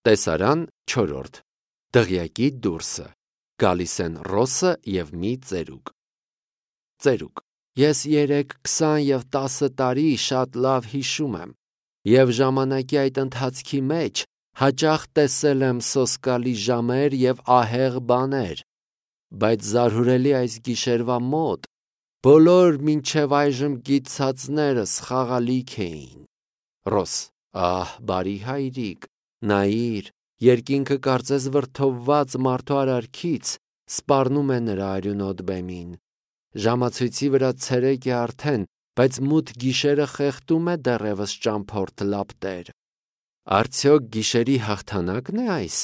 Տեսարան 4. Դղյակի դուրսը։ Գալիս են Ռոսը և մի ծերուկ։ Ծերուկ. Ես 3, 20 և 10 տարի շատ լավ հիշում եմ, և ժամանակի այդ ընթացքի մեջ հաճախ տեսել եմ սոսկալի ժամեր և ահեղ բաներ, բայց զարհուրելի այս գիշերվա մոտ բոլոր մինչև այժմ գիտցածներս խաղալիք էին։ Ռոս. Ահ, բարի հայրիկ, նայիր, երկինքը կարծես վրդովված մարդու արարքից սպառնում է նրա արյունոտ բեմին։ Ժամացույցի վրա ցերեկ է արդեն, բայց մութ գիշերը խեղդում է դեռևս ճամփորդ լապտեր։ Արդյոք գիշերի հաղթանակն է այս,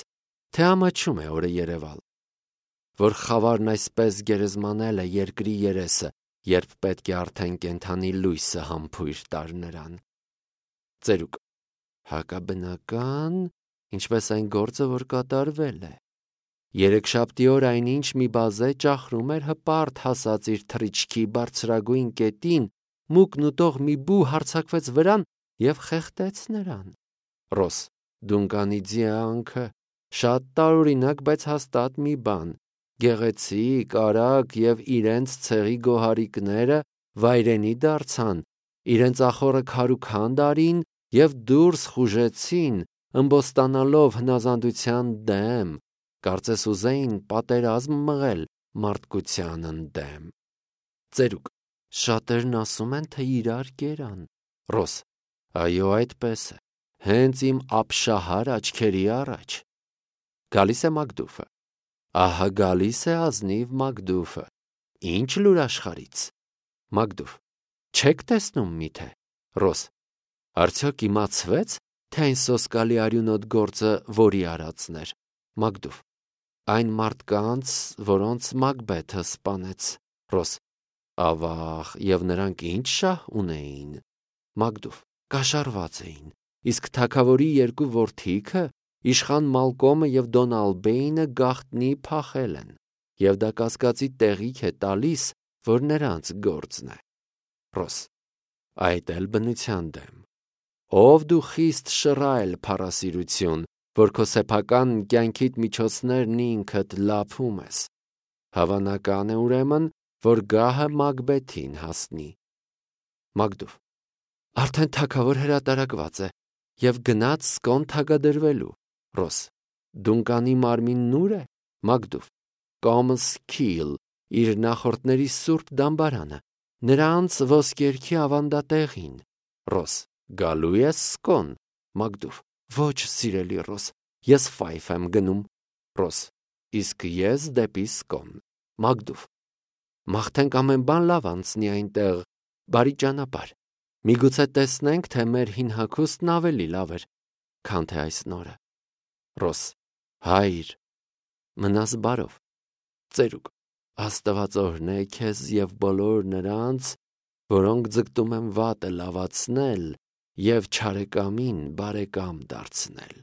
թե ամաչում է օրը երևալ, որ խավարն այսպես գերեզմանել է երկրի երեսը, երբ պետք է արդեն կենդանի լույսը համբույր տար նրան։ Ծերուկ. Հակաբնական, ինչպես այն գործը, որ կատարվել է։ Երեքշաբթի օր այնինչ մի բազե ճախրում էր հպարտ հասած իր թռիչքի բարձրագույն կետին, մուկն ուտող մի բու հարձակվեց վրան և խեղդեց նրան։ Ռոս. Դունկանի ձիանքը, շատ տարօրինակ, բայց հաստատ մի բան։ Գեղեցիկ, արագ և իրենց ցեղի գոհարիկները վայրենի դարձան, իրենց ախոռը քարուքանդ արին և դուրս խուժեցին, ըմբոստանալով հնազանդության դեմ, կարծես ուզեին պատերազմ մղել մարդկությանն դեմ։ Ծերուկ. Շատերն ասում են, թե իրար կերան։ Ռոս. Այո, այդպես է, հենց իմ ապշահար աչքերի առաջ։ Գալիս է Մակդուֆը։ Ահա գալիս է ազնիվ Մակդուֆը։ Ինչ լուր աշխարհից։ Մակդուֆ. Չեք տեսնում միթե։ Ռոս. Արդյոք իմացվեց, թե այն սոսկալի արյունոտ գործը որի արածն էր։ Մակդուֆ. Այն մարդկանց, որոնց Մակբեթը սպանեց։ Ռոս. Ավաղ, և նրանք ինչ շահ ունեին։ Մակդուֆ. Կաշառված էին, իսկ թագավորի 2 որդիքը, իշխան Մալկոմը և Դոն Ալբեինը գաղտնի փախել են, և դա կասկածի տեղիք է տալիս, որ նրանց գործն է։ Ռոս. Այդ էլ բնության դեմ։ Ով դու խիստ շռայլ փառասիրություն, որ քո սեփական կյանքիդ միջոցներն ինքդ լափում ես։ Հավանական է ուրեմն, որ գահը Մակբեթին հասնի։ Մակդուֆ. Արդեն թագավոր հրատարակված է և գնաց Սկոն թագադրվելու։ Ռոս. Դունկանի մարմինն ուր է։ Մակդուֆ. Կոմսքիլ, իր նախորդների սուրբ դամբարանը, նրանց ոսկերքի ավանդատեղին։ Ռոս. Գալու ես Սկոն։ Մակդուֆ. Ոչ, սիրելի Ռոս, ես Ֆայֆ եմ գնում։ Ռոս. Իսկ ես դեպի Սկոն։ Մակդուֆ. Մաղթենք ամեն բան լավ անցնի այնտեղ, բարի ճանապարհ։ Միգուցե տեսնենք, թե մեր հին հագուստն ավելի լավ էր, քան թե այս նորը։ Ռոս. Հայր, մնաս բարով։ Ծերուկ. Աստված օրհնե քեզ և բոլոր նրանց, որոնք ձգտում են վատը լավացնել և չարեկամին բարեկամ դարձնել։